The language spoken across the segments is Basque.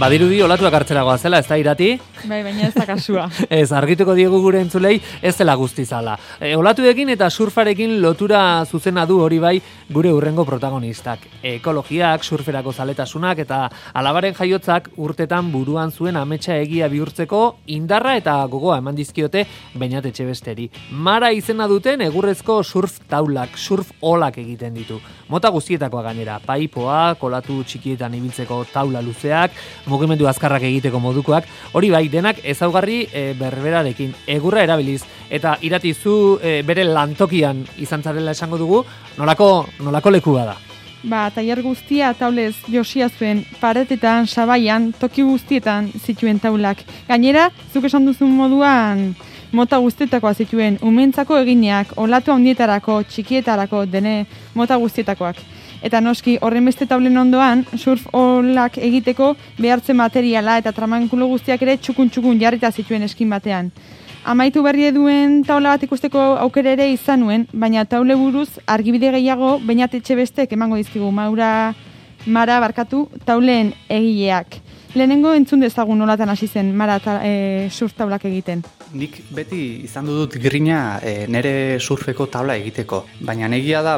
Badirudi olatuak hartzeragoa zela, ez da Irati? Bai, baina ez da kasua. Ez, argituko diegu gure entzulei, ez dela guztizala. Olatuekin eta surfarekin lotura zuzena du hori bai gure hurrengo protagonistak. Ekologiak, surferako zaletasunak eta alabaren jaiotzak urtetan buruan zuen ametsa egia bihurtzeko indarra eta gogoa eman dizkiote Beñat Etxebesteri. Mara izena duten egurrezko surf taulak, surf olak egiten ditu. Mota guztietakoa gainera, paipoak, olatu txikietan ibiltzeko taula luzeak, mugimendu azkarrak egiteko modukoak, hori bai, denak ezaugarri berberarekin, egurra erabiliz, eta Irati zu bere lantokian izan zarela esango dugu, nolako lekua da? Tailer guztia taulez josia zuen, paretetan, sabaian, toki guztietan zituen taulak. Gainera, zuk esan duzun moduan, mota guztietakoa zituen, umentzako egineak, olatu handietarako, txikietarako, dene mota guztietakoak. Eta noski, horren beste taulen ondoan, surf olak egiteko behartzen materiala eta tramankulo guztiak ere txukun jarrita zituen eskin batean. Amaitu berri duen taula bat ikusteko aukera ere izan nuen, baina taule buruz argibide gehiago Beñat Etxebestek emango dizkigu Mara tauleen egileak. Lehenengo entzun dezagun nolatan hasi zen Mara surf taulak egiten. Nik beti izan dut grina nere surfeko taula egiteko. Baina egia da,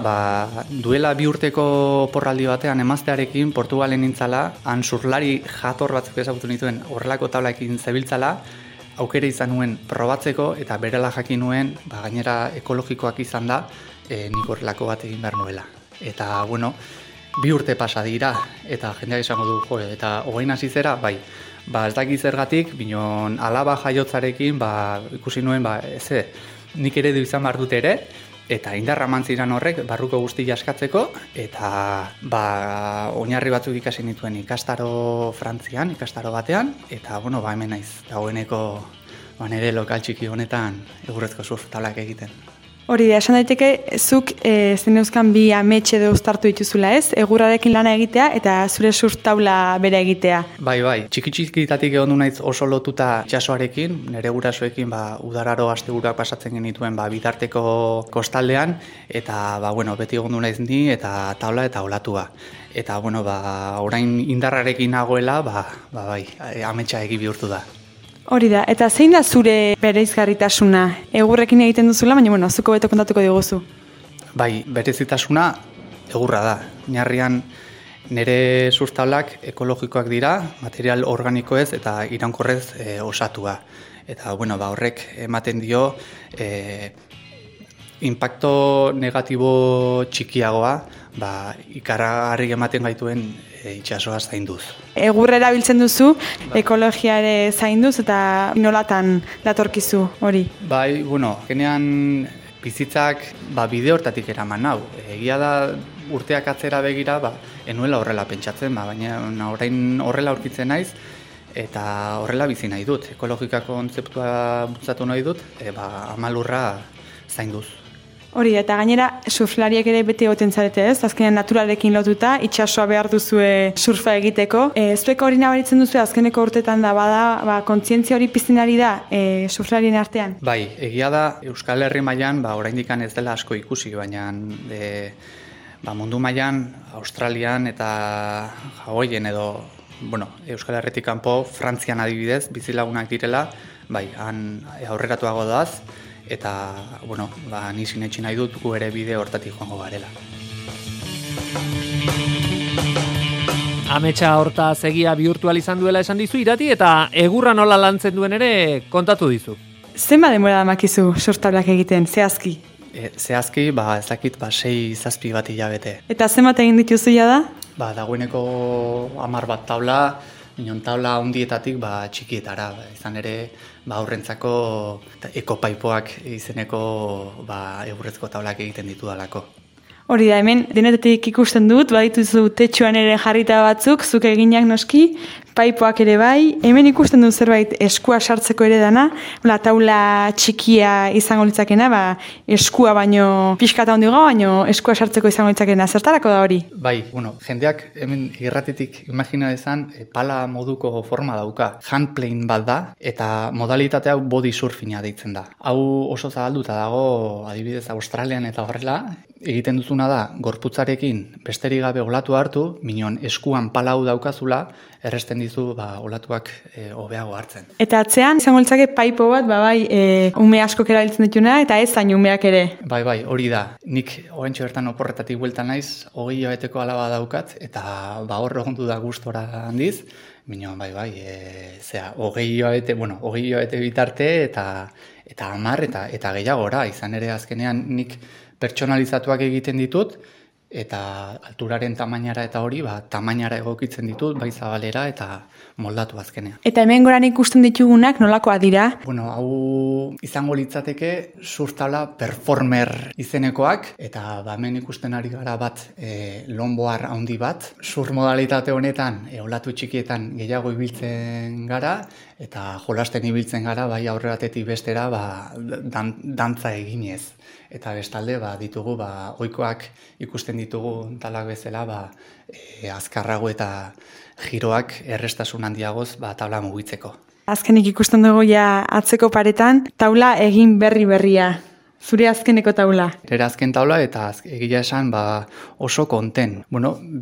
duela 2 urteko porraldi batean emaztearekin Portugalen nintzala, han surflari jator batzuk ezagutu nituen horrelako taulaekin zebiltzala, aukera izan nuen probatzeko eta berela jakin nuen, gainera ekologikoak izan da, nik horrelako bat egin behar nuela. Eta, 2 urte pasa dira, eta jendeak esango du, eta hogein hasi zera, bai. Ez dakit zergatik, binon alaba jaiotzarekin, ikusi nuen, nik ere du izan behar dut ere, eta indarra mantziran horrek, barruko guzti jaskatzeko, eta oinarri batzuk ikasi nituen ikastaro Frantzian, ikastaro batean, eta hemen naiz, dagoeneko nire lokal txiki honetan egurrezko surf taulak egiten. Hori da, esan daiteke, zuk zeneuzkan bi amets edo uztartu dituzula ez, egurrarekin lana egitea eta zure surf taula bere egitea. Bai, txiki-txikitatik egon du naiz oso lotuta itsasoarekin, nire gurasoekin udararo asteburuak pasatzen genituen bitarteko kostaldean, eta beti egon du naiz ni eta taula eta olatua. Eta orain indarrarekin nagoela, ametsa egi bihurtu da. Hori da, eta zein da zure bereizgarritasuna? Egurrekin egiten duzula, baina zuko beto kontatuko diguzu. Berezitasuna egurra da. Oinarrian nire surf taulak ekologikoak dira, material organikoez eta iraunkorrez osatua. Eta horrek ematen dio impacto negatibo txikiagoa, ikaragarri ematen gaituen itsasoa zainduz. Egurra erabiltzen duzu, ekologia ere zainduz eta nolatan datorkizu hori? Genean bizitzak bide hortatik eraman nau. Egia da urteak atzera begira, enuela horrela pentsatzen, baina orain horrela aurkitzen naiz, eta horrela bizi nahi dut. Ekologikako kontzeptua bultzatu nahi dut, amalurra zainduz. Hori, eta gainera surflariak ere beti egoten zarete ez, azkenean naturalekin lotuta, itsasoa behar duzue surfa egiteko. Zuek hori nabaritzen duzu azkeneko urtetan da kontzientzia hori pizten ari da surflarien artean? Egia da Euskal Herri mailan oraindik ez dela asko ikusi, baina mundu mailan Australian eta Hawaiien edo Euskal Herritik kanpo, Frantzian adibidez, bizilagunak direla, han aurreratuago doaz, eta, ni sinetsi nahi dut gu ere bide hortatik joango garela. Ametsa hortaz egia bihurtual izan duela esan dizu Irati, eta egurra nola lantzen duen ere kontatu dizu. Zenba denbora damakizu surf taulak egiten, zehazki? Zehazki, ez dakit, 6-7 bat hilabete. Eta zenbat egin dituzu da? Dagoeneko 10 bat taula, minon taula handietatik txikietara, izan ere aurrentzako ekopaipoak izeneko egurrezko taulak egiten ditu dalako. Hori da, hemen denetetik ikusten dut, badituzu tetxuan ere jarrita batzuk, zuk eginak noski, paipoak ere bai, hemen ikusten dut zerbait eskua sartzeko ere dana, taula txikia izango litzakena, eskua baino pixkata hondigo, baino eskua sartzeko izango litzakena, zertarako da hori? Jendeak hemen irratitik imagina dezan, pala moduko forma dauka, handplane bat da, eta modalitatea body surfinga deitzen da. Hau oso zabalduta dago, adibidez Australian eta horrela, egiten duzuna da, gorputzarekin besterik gabe olatu hartu, minon eskuan palau daukazula, erresten dizu olatuak hobeago hartzen. Eta atzean, izango litzake paipo bat, ume askok erabiltzen dituna, eta ez zain umeak ere. Bai, hori da. Nik oentxo bertan oporretatik bueltan naiz, 20 hilabeteko alaba daukat, eta hor egondu da gustora handiz, minon, 20 hilabete bitarte, eta 10 eta gehiagora, izan ere azkenean nik pertsonalizatuak egiten ditut, eta alturaren tamainara eta hori, tamainara egokitzen ditut, bai zabalera eta moldatu azkenean. Eta hemen goran ikusten ditugunak nolakoa dira? Hau izango litzateke surftabla performer izenekoak, eta hemen ikusten ari gara bat longboard handi bat. Surf modalitate honetan, olatu txikietan gehiago ibiltzen gara, eta jolasten ibiltzen gara, bai aurreratetik bestera, dantza eginez. Eta bestalde, ditugu, ohikoak ikusten ditugu talak bezala, azkarrago eta giroak errestasun handiagoz, tabla mugitzeko. Azkenik ikusten dugu atzeko paretan, taula egin berria. Zure azkeneko taula? Nire azken taula eta egia esan oso konten.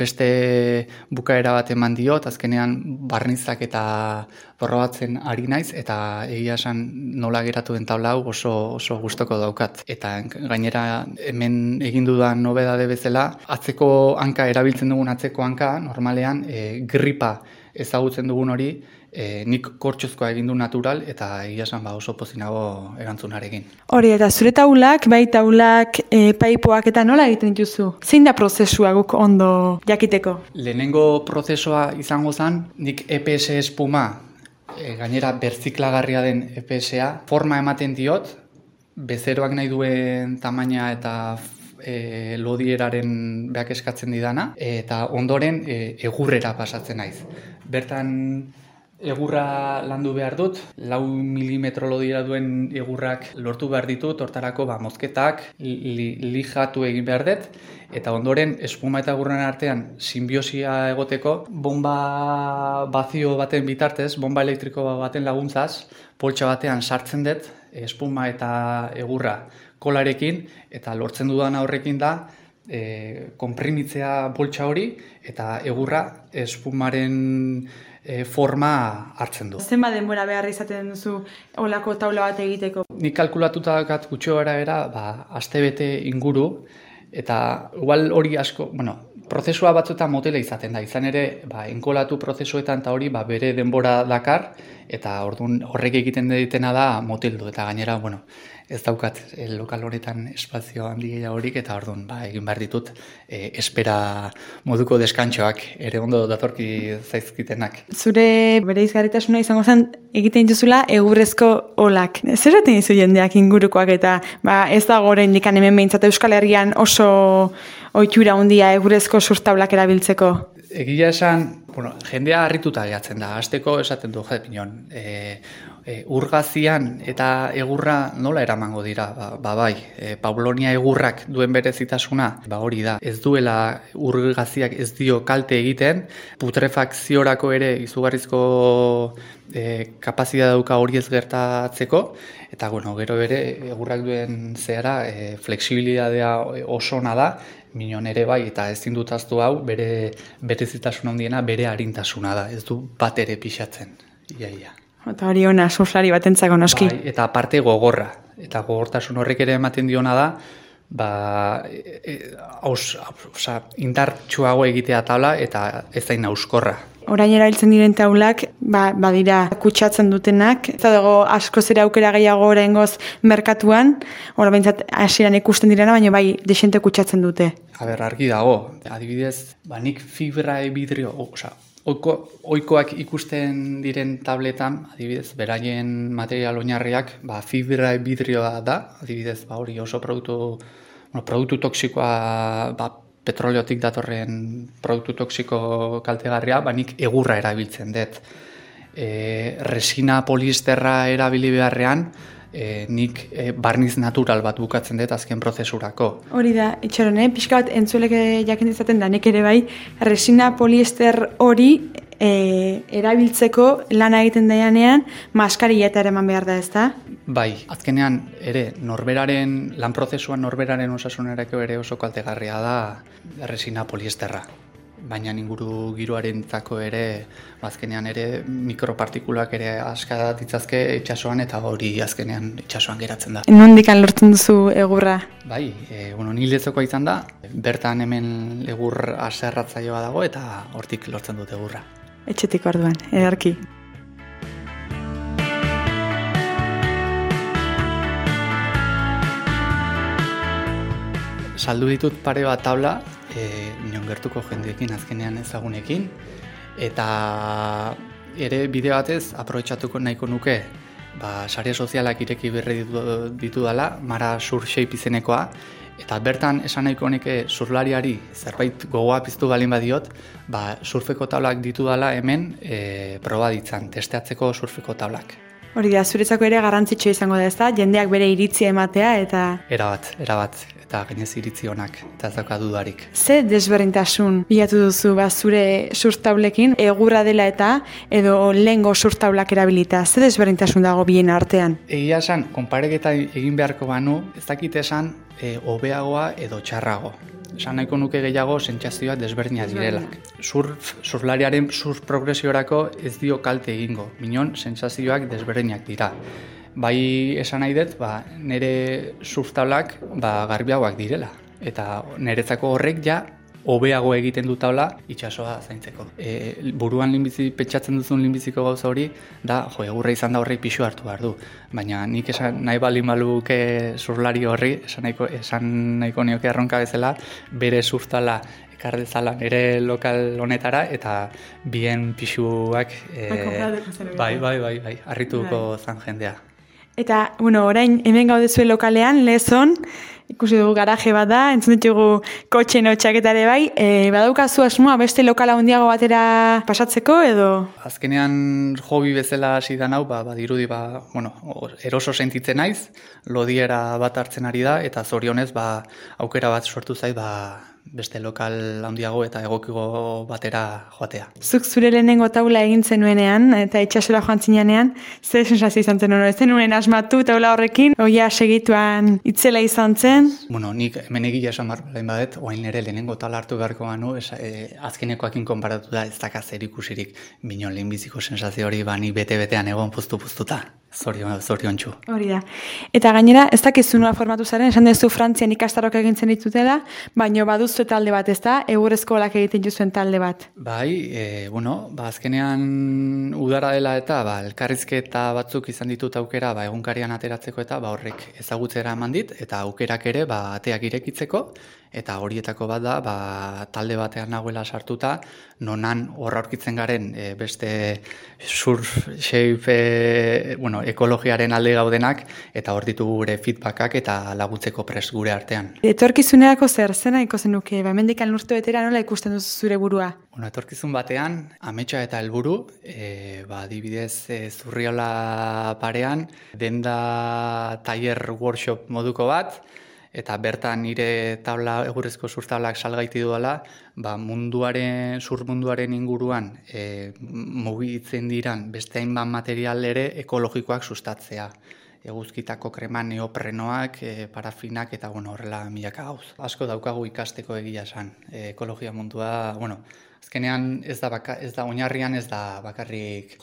Beste bukaera bat eman diot, azkenean barnizak eta probatzen ari naiz, eta egia esan nola geratu den taula hau oso gustoko daukat. Eta gainera hemen egin dudan nobedade bezala, atzeko hanka erabiltzen dugun atzeko hanka, normalean gripa ezagutzen dugun hori, nik kortxozkoa egin du natural, eta egia esan oso pozinago erantzunarekin. Hori, eta zure taulak, paipoak eta nola egiten dituzu? Zein da prozesua guk ondo jakiteko? Lehenengo prozesua izango zen, nik EPS espuma, gainera berziklagarria den EPS-a, forma ematen diot, bezeroak nahi duen tamaina eta lodieraren beak eskatzen didana, eta ondoren egurrera pasatzen naiz. Bertan egurra landu behar dut, 4 milimetro lodiera duen egurrak lortu behar ditut, hortarako mozketak lijatu egin behar dut, eta ondoren espuma eta egurren artean simbiosia egoteko, bomba bazio baten bitartez, bomba elektriko baten laguntzaz, poltsa batean sartzen dut, espuma eta egurra kolarekin, eta lortzen dudan horrekin da, konprimitzea poltsa hori, eta egurra espumaren forma hartzen du. Zenba denbora behar izaten duzu olako taula bat egiteko? Nik kalkulatuta dakat gutxo gara astebete inguru, eta igual hori asko, prozesua batzuetan motela izaten da, izan ere, enkolatu prozesuetan eta hori bere denbora dakar, eta horrek egiten ditena da moteldu, eta gainera, ez daukat lokal honetan espazio handi horik, eta orduan egin behar ditut espera moduko deskantxoak ere ondo datorki zaizkitenak. Zure bereizgarritasuna izango zen egiten dituzula egurrezko olak. Zer zaten dizu jendeak ingurukoak eta ez da goren dikan hemen behintzat Euskal Herrian oso ohitura handia egurrezko surftablak erabiltzeko? Egia esan, jendea harrituta gehatzen da. Hasteko esaten du, pinon, urgazian eta egurra nola eramango dira? Paulonia egurrak duen berezitasuna, hori da. Ez duela urgaziak ez dio kalte egiten, putrefakziorako ere izugarrizko kapazitatea dauka hori ez gertatzeko, eta gero bere egurrak duen zehara flexibilitatea oso ona da, minon ere eta ezin dut ahaztu hau, bere berezitasuna handiena bere arintasuna da, ez du bat ere pixatzen, ia. Eta hori ona, surflari batentzako noski. Eta aparte gogorra, eta gogortasun horrek ere ematen diona da, indartsuago egitea tabla eta ez zain auskorra. Orain erabiltzen diren taulak, badira kutsatzen dutenak, ez dago asko zera aukera gehiago oraingoz merkatuan, hori behintzat hasieran ikusten direna, baina desente kutsatzen dute. Argi dago, adibidez, nik fibra vidrio, ohikoak ikusten diren tabletan, adibidez, beraien material oinarriak, fibra vidrioa da, adibidez, hori oso produktu toksikoa, petroleotik datorren produktu toksiko kaltegarria, nik egurra erabiltzen dut. Resina poliesterra erabili beharrean, nik barniz natural bat bukatzen dut azken prozesurako. Hori da, itxaron, pixka bat entzuelek jakin izaten da, nek ere resina poliester hori erabiltzeko lana egiten daianean maskarilla eta eman behar da, ezta? Bai, azkenean ere lan prozesuan norberaren osasunerako ere oso kaltegarria da resina poliesterra. Baina inguru giroarentzako ere, azkenean ere mikropartikulak ere aska ditzazke itsasoan eta hori azkenean itsasoan geratzen da. Nondikan lortzen duzu egurra? Bai, nil lezokoa izan da, bertan hemen egur aserratzaioa dago eta hortik lortzen dut egurra. Etxetik orduan, ederki. Saldu ditut pare bat tabla, inon gertuko jendeekin azkenean ezagunekin, eta ere bide batez aprobetxatuko nahiko nuke, sare sozialak ireki berri ditu dela, Mara Sur Shape izenekoa, eta bertan esan nahiko neke surlariari zerbait gogoa piztu balin badiot, surfeko tablak ditu dela hemen proba ditzan, testeatzeko surfeko tablak. Hori da, zuretzako ere garrantzitsua izango da, ezta? Jendeak bere iritzia ematea eta... Erabat, eta gainez iritzi honak, eta ez dauka dudarik. Ze desberdintasun bilatu duzu zure surftablekin, egurra dela eta edo lehengo surftablak erabilita? Ze desberdintasun dago bien artean? Egia esan, konpareketa egin beharko banu, ez dakit esan hobeagoa edo txarrago. Esan nahiko nuke gehiago sentsazioak desberdinak direlak. Surflariaren surf progresiorako ez dio kalte egingo, minon sentsazioak desberdinak dira. Bai esan nahi dut, nire surftablak garbiagoak direla. Eta niretzako horrek ja hobeago egiten du tabla itsasoa zaintzeko. Buruan pentsatzen duzun lehenbiziko gauza hori, da egurra izan da horrek pixu hartu behar du. Baina nik esan nahi balin baluke surflari horri, esan nahiko nioke erronka bezala, bere surftala ekar dezala nire lokal honetara eta bien pixuak bai, harrituko zan jendea. Eta, orain hemen gaudezue lokalean, Lezon, ikusi dugu garaje bat da, entzun ditugu kotxen hotxaketare bai, badaukazu asmoa beste lokala handiago batera pasatzeko edo? Azkenean hobi bezala hasi da nau, badirudi, eroso sentitzen naiz, lodiera bat hartzen ari da, eta zorionez, aukera bat sortu zait, beste lokal handiago eta egokigo batera joatea. Zuk zure lehenengo taula egin zenuenean eta itxasora joan zinean, zer sensazio izan zen ez zenuen asmatu taula horrekin, oia segituan itzela izan zen? Nik hemen egia esan barbain badet, oain ere lehenengo taula hartu beharko banu, azkenekoakin konparatu da ez daka zer ikusirik, minon lehenbiziko sensazio hori nik bete-betean egon puztu-puztuta. Zoriontsu. Hori da. Eta gainera, ez dakizu nola formatu zaren, esan duzu Frantzian ikastarok egintzen ditutela, baina baduzu talde bat, ez da? Egurrezko olak egiten juzuen talde bat. Bai, azkenean udara dela eta elkarrizketa batzuk izan ditut aukera egunkarian ateratzeko eta horrek ezagutzera eman dit, eta aukerak ere ateak irekitzeko, eta horietako bat da talde batean nagoela sartuta, nonan horra aurkitzen garen beste surf shape ekologiaren alde gaudenak, eta hor ditugu gure feedbackak eta laguntzeko prest gure artean. Etorkizunerako zer nahiko zenuke? Hemendik urte betera nola ikusten duzu zure burua? Etorkizun batean, ametsa eta helburu, adibidez Zurriola parean, denda taller workshop moduko bat, eta bertan nire egurrezko surftablak salgaiti duela, surf munduaren inguruan mugitzen diran beste hainbat material ere ekologikoak sustatzea. Eguzkitako krema, neoprenoak, parafinak eta horrela milaka gauz. Asko daukagu ikasteko egia esan. Ekologia mundua, azkenean ez da oinarrian ez da bakarrik,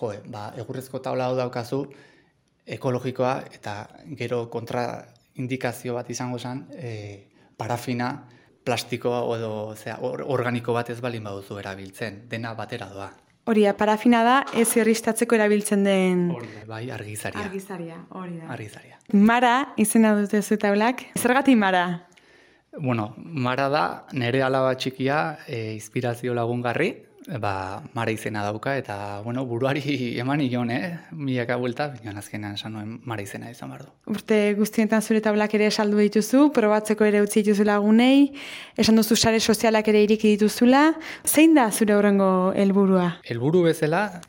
egurrezko tabla hau daukazu ekologikoa eta gero kontraindikazio bat izango zen, parafina, plastikoa edo organiko bat ez balin baduzu erabiltzen, dena batera doa. Hori da, parafina da, ez irristatzeko erabiltzen den... Bai, argizaria. Hori da. Argizaria. Mara, izena dute zu tablak. Zergatik Mara? Mara da, nire alaba txikia inspirazio lagungarri, Mara izena dauka, eta buruari eman ion, milaka buelta, baina azkenean esan nuen Mara izena izan behar du. Urte guztietan zure tablak ere saldu dituzu, probatzeko ere utzi dituzu lagunei, esan duzu sare sozialak ere iriki dituzula. Zein da zure horrengo helburua? Helburu bezala,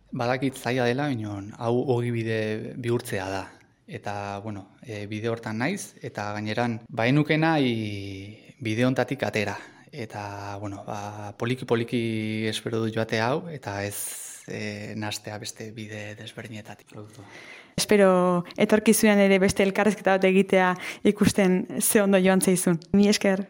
badakit zaila dela, hau ogibide bihurtzea da. Eta, bide hortan naiz, eta gaineran, bainukena bide hontatik atera. eta bueno, poliki espero dut joate hau, eta ez nastea beste bide desberdinetatik. Espero etorkizunean ere beste elkarrezketa bat egitea ikusten ze ondo joan zaizun. Mi esker.